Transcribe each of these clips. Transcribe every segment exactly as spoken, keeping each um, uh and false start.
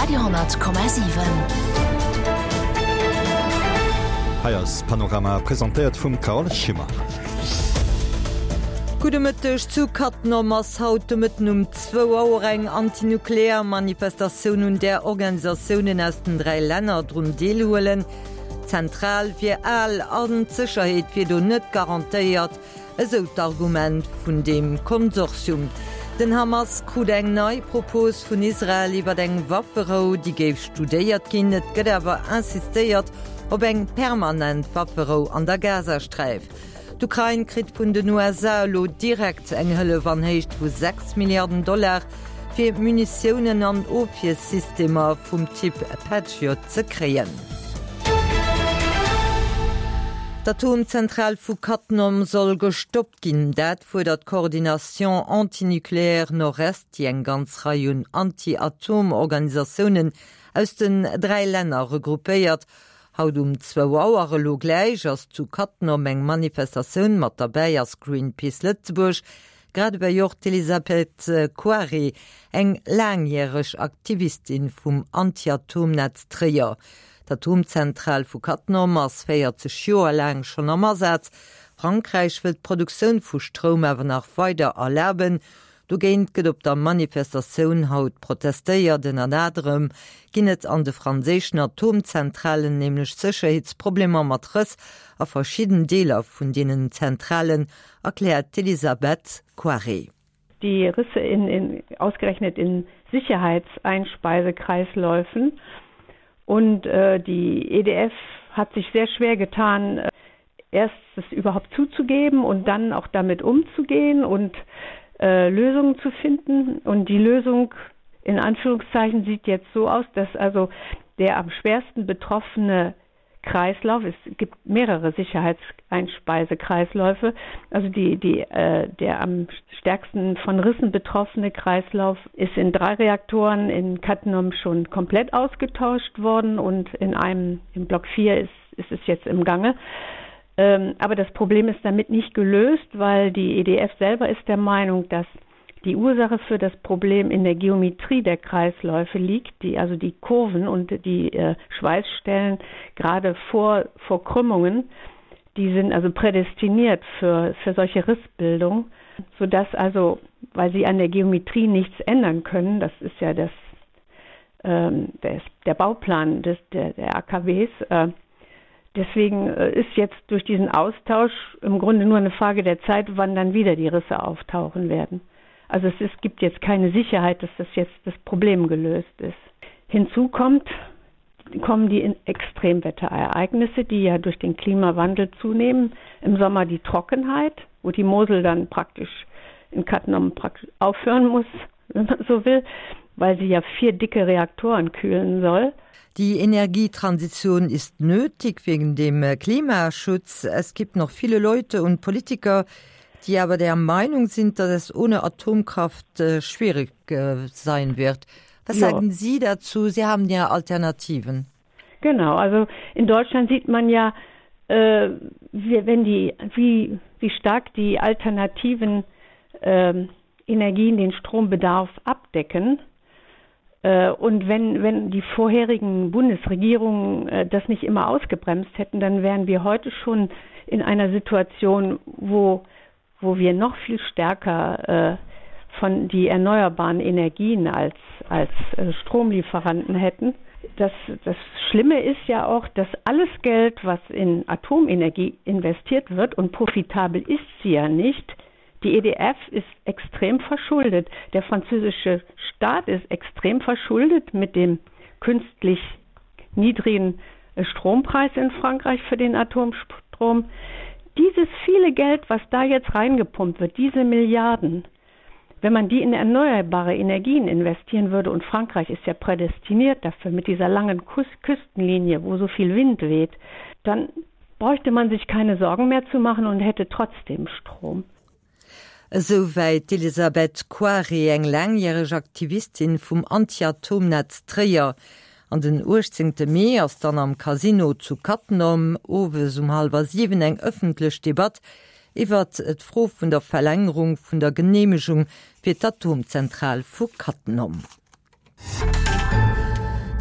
Radio Komma siwen. Hei ass Panorama, presentéiert vum Carole Schimmer. Gudde Mëtteg, Zu Cattenom ass haut de Mëtten um zwou Auer eng antinuklear Manifestatioun, un där Organisatiounen aus den dräi Länner drun deelhuelen. D'Zentral wier al an d'Sécherheet wier do net garantéiert, esou d'Argument vun deem Konsortium. Den Hamas krut eng nei Propos vun Israel iwwer eng Wafferou, déi géif studéiert ginn. Et gëtt awer insistéiert op eng permanent Wafferou an der Gazasträif. D'Ukrain kritt vun den U S A elo direkt eng Hëllef an Héicht vu sechs Milliarden Dollar, fir Munitiounen an Ofwiersystemer vum Typ Patriot ze kréien. D'Atomzentral vu Cattenom soll gestoppt ginn. Dat fuerdert d'Coordination Antinucléaire Nord-Est, déi eng ganz Rei un Anti-Atom-Organisatiounen aus den dräi Länner regroupéiert. Haut um zwou Auer, elo gläich, ass zu Cattenom eng Manifestatioun. Mat derbäi ass Greenpeace Lëtzebuerg, grad ewéi och d'Elisabeth Koiré, eng laangjäreg Aktivistin vum Anti-Atomnetz Tréier. D'Atomzentral vu Cattenom ass véierzeg Joer laang schonn am Asaz. Frankräich wëll d'Produktioun vu Stroum awer nach weider erlaben. Dogéint gëtt op der Manifestatioun haut protestéiert. Ënnert anerem ginn et an de franséischen Atomzentralen nämlech Sécherheetsproblemer mat Rëss a verschidden Deeler vun deenen Zentralen, erkläert d'Elisabeth Koiré. Die Risse in, in, ausgerechnet in Sicherheitseinspeisekreisläufen. Und, äh, die E D F hat sich sehr schwer getan, äh, erst es überhaupt zuzugeben und dann auch damit umzugehen und, äh, Lösungen zu finden. Und die Lösung in Anführungszeichen sieht jetzt so aus, dass also der am schwersten betroffene Kreislauf, es gibt mehrere Sicherheitseinspeisekreisläufe, also die, die, äh, der am stärksten von Rissen betroffene Kreislauf ist in drei Reaktoren in Cattenom schon komplett ausgetauscht worden und in einem, im Block vier ist, ist es jetzt im Gange. Ähm, aber das Problem ist damit nicht gelöst, weil die E D F selber ist der Meinung, dass die Ursache für das Problem in der Geometrie der Kreisläufe liegt, die also die Kurven und die, äh, Schweißstellen gerade vor, vor Krümmungen, die sind also prädestiniert für, für solche Rissbildung, sodass also, weil sie an der Geometrie nichts ändern können, das ist ja das, ähm, der, der Bauplan des, der, der A K Ws, äh, deswegen, äh, ist jetzt durch diesen Austausch im Grunde nur eine Frage der Zeit, wann dann wieder die Risse auftauchen werden. Also es ist, gibt jetzt keine Sicherheit, dass das jetzt das Problem gelöst ist. Hinzu kommt, kommen die Extremwetterereignisse, die ja durch den Klimawandel zunehmen. Im Sommer die Trockenheit, wo die Mosel dann praktisch in Cattenom praktisch aufhören muss, wenn man so will, weil sie ja vier dicke Reaktoren kühlen soll. Die Energietransition ist nötig wegen dem Klimaschutz. Es gibt noch viele Leute und Politiker, die aber der Meinung sind, dass es ohne Atomkraft, äh, schwierig, äh, sein wird. Was Ja. sagen Sie dazu? Sie haben ja Alternativen. Genau, also in Deutschland sieht man ja, äh, wie, wenn die, wie, wie stark die alternativen, ähm, Energien den Strombedarf abdecken. Äh, und wenn, wenn die vorherigen Bundesregierungen, äh, das nicht immer ausgebremst hätten, dann wären wir heute schon in einer Situation, wo, wo wir noch viel stärker, äh, von die erneuerbaren Energien als, als, äh, Stromlieferanten hätten. Das, das Schlimme ist ja auch, dass alles Geld, was in Atomenergie investiert wird, und profitabel ist sie ja nicht, die E D F ist extrem verschuldet. Der französische Staat ist extrem verschuldet mit dem künstlich niedrigen Strompreis in Frankreich für den Atomstrom. Dieses viele Geld, was da jetzt reingepumpt wird, diese Milliarden, wenn man die in erneuerbare Energien investieren würde, und Frankreich ist ja prädestiniert dafür mit dieser langen Kus-, Küstenlinie, wo so viel Wind weht, dann bräuchte man sich keine Sorgen mehr zu machen und hätte trotzdem Strom. Esouwäit Elisabeth Koiré, eng langjäreg Aktivistin vum Anti-Atomnetz Tréier. An den uechtzéngte Mee ass dann am Casino zu Cattenom owes um hallwer siwen eng ëffentlech Debatt iwwer d'Fro vun der Verlängerung vun der Geneemegung fir d'Atomzentral vu Cattenom.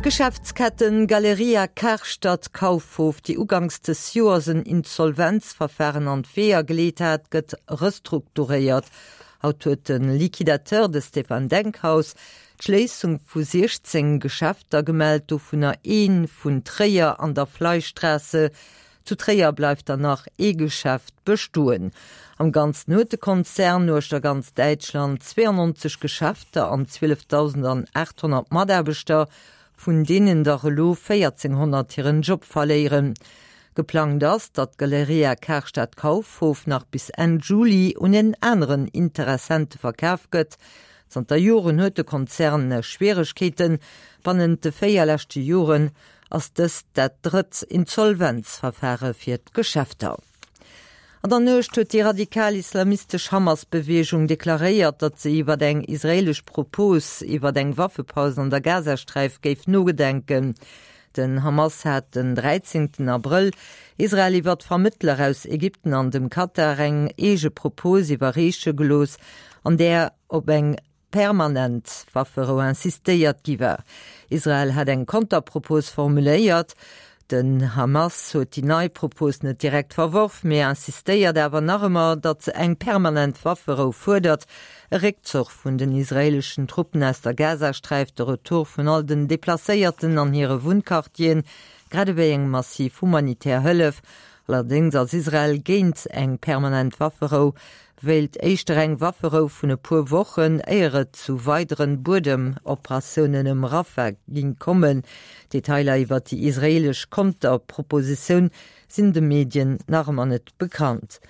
D'Geschäftsketten Galeria Karstadt Kaufhof, déi uganks des Joers en Insolvenzverfahren an d'Weeër geleet hat, gëtt restrukturéiert. Haut huet de Liquidateur, de Stefan Denkhaus, d'Schléissung vu siechzéng Geschäfter gemellt, dovunner ee vun Tréier an der Fleischstraße. Zu Tréier bleift dann nach ee Geschäft bestoen. Am Ganzen huet de Konzern uechter ganz Däitschland zweiundneunzeg Geschäfter an zwielefdausendachthonnert Mataarbechter, vun deenen der elo véierzehnhonnert hiren Job verléieren. Geplangt ass, datt d'Galeria Karstadt Kaufhof nach bis Enn Juli un en aneren Interessente verkaf gëtt. Zanter Joren huet de Konzern Schwieregkeeten, bannent de véier leschte Joren ass dëst dat drëtt Insolvenzverfare fir d'Geschäfter. An der Nuecht huet déi radikal-islamistesch Hamas-Beweegung deklaréiert, datt se iwwer eng israeelesch Propos iwwer eng Waffepaus an der Gazasträif géif nogedenken. Den Hamas hat den dräizéngten Abrëll Israel iwwer Vermëttler aus Ägypten an dem Katar eng eege Propos iwwerreeche gelooss, an där op eng permanent Wafferou insistéiert gi war. Israel hat eng Konterpropos formuléiert. Den Hamas huet déi nei Propos net direkt verworf, mee insistéiert awer nach ëmmer, datt se eng permanent Wafferou fuerdert, e Réckzuch vun den israeeleschen Truppen aus der Gazasträif, de Retour vun all den Deplacéierten an hire Wunnquartieren, grad ewéi eng massiv humanitär Hëllef. Allerdéngs ass Israel géint eng permanent Wafferou, wéilt éischter eng Wafferou vun e puer Wochen, éier et zu weideren Buedemoperatiounen ëm Rafah ging kommen. Detailer iwwer déi israeelesch Konterpropositioun sinn de Medien nach ëmmer net bekannt.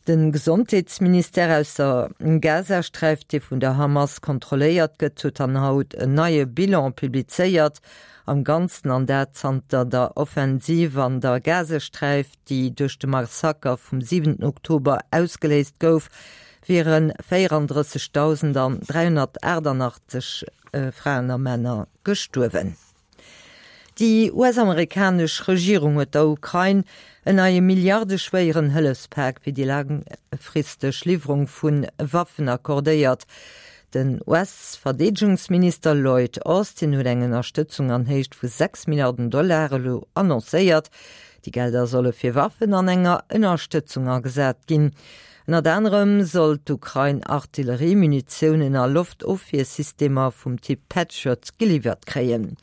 Den Gesondheetsministère aus der Gazasträif, dee vun der Hamas kontrolléiert gëtt, huet dann haut en neie Bilan publizéiert. Am Ganzen, an dat zanter der Offensiv an der Gazasträif, déi duerch de Massaker vum siwenten Oktober ausgeléist gouf, wiere véierandrëssegdausend dräihonnertaachtanachtzeg Fraen a Männer gestuerwen. Déi U S-amerikanesch Regierung huet der Ukrain en neie milliardeschwéieren Hëllefspak fir déi laangfristeg Liwwerung vu Waffen accordéiert. Den U S-Verdeedegungsminister Lloyd Austin huet eng Ënnerstëtzung an Héicht vu sechs Milliarden Dollar elo annoncéiert. Déi Gelder solle fir Waffen an enger Ënnerstëtzung agesat ginn. Ënnert anerem soll d'Ukrain Artilleriemunitiounen a Loftofwiersystemer vum Typ Patriot geliwwert kréien.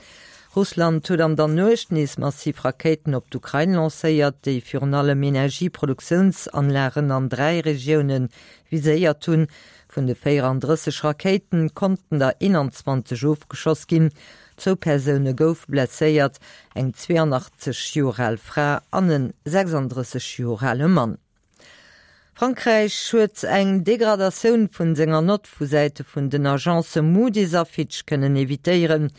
Russland huet an der Nuecht nees massiv Rakéiten op d'Ukrain lancéiert, déi virun allem Energieproduktiounsanlagen an dräi Regioune viséiert hunn. Vun de véierandrësseg Rakéiten konnten der eenanzwanzeg ofgeschoss ginn. Zwou Persoune goufe blesséiert, eng zweeanachtzeg Joer al Fra an en sechsandrësseg Joer ale Mann. Frankräich huet eng Degradatioun vun senger Nott vu Säite vun den Agence Moody's a Fitch kënnen evitéieren.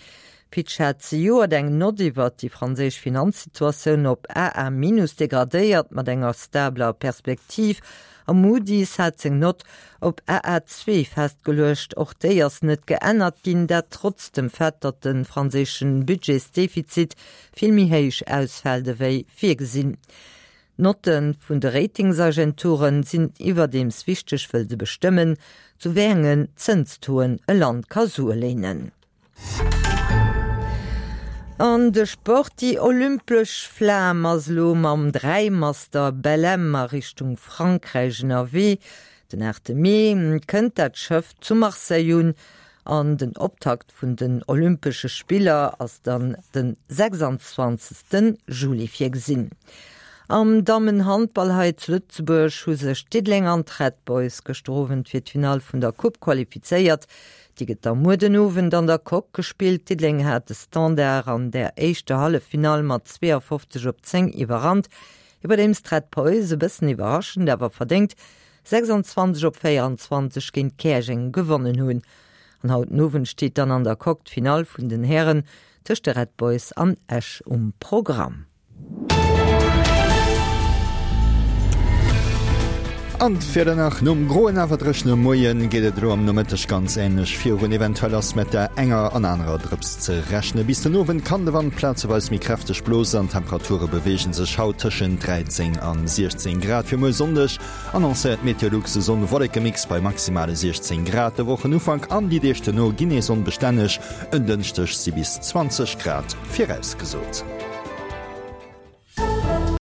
Fitch hat zejoert eng Nott iwwert déi franséisch Finanzsituatioun op A A minus degradéiert mat enger stabler Perspektiv a Moody's hat seng Nott op A A zwee festgeluecht. Och déi ass net geännert ginn, dat trotz dem Fait, datt de franséische Budgetsdefizit vill méi héich ausfält ewéi virgesinn. D'Notte vun de Ratingsagenture sinn iwwerdeems wichteg, wëll se bestëmmen, zu wéi engen Zënstoen e Land ka Sue léinen. An de Sport, Déi olympesch Flam ass elo mam Dräimaster Bellem a Richtung Frankräich ënnerwee. Den aachte Mee kënnt dat Schëff zu Marseille un an den Optakt vun den Olympesche Spiller ass dann de sechsanzwanzegste Juli virgesinn. Am Dammenhandball hei zu Lëtzebuerg hu sech Diddeleng an d'Red Boys gëschter Owend fir d'Finall vun der Coupe qualifizéiert. Déi gëtt da muer den Owend an der Coque gespillt. Diddeleng hat de Standard an der éischter Halleffinall mat zweeafofzeg op zéng iwwerrannt, iwwerdeems d'Red Boys e bëssen iwwerraschend awer verdéngt sechsanzwanzeg op véieranzwanzeg géint Käerjeng gewonnen hunn. An haut den Owend steet dann an der Coque d'Finall vun den Hären tëscht de Red Boys an Esch um Programm. An d'Wieder nach, Nom groen awer dréchene Moien geet et elo am Nomëtteg ganz änlech virun, eventuell ass mat der enger an anerer Drëps ze rechnen. Bis den Owend kann de Wand plazeweis méi kräfteg blosen an d'Temperature beweege sech haut tëschent dräizéng an siechzéng Grad. Fir muer Sonndeg annoncéiert Meteolux e Sonn-Wolleke-Mix bei maximale siechzéng Grad. De Wochenufank an déi Deeg duerno ginn nees onbestänneg, en Dënschdeg si bis zwanzeg Grad virausgesot.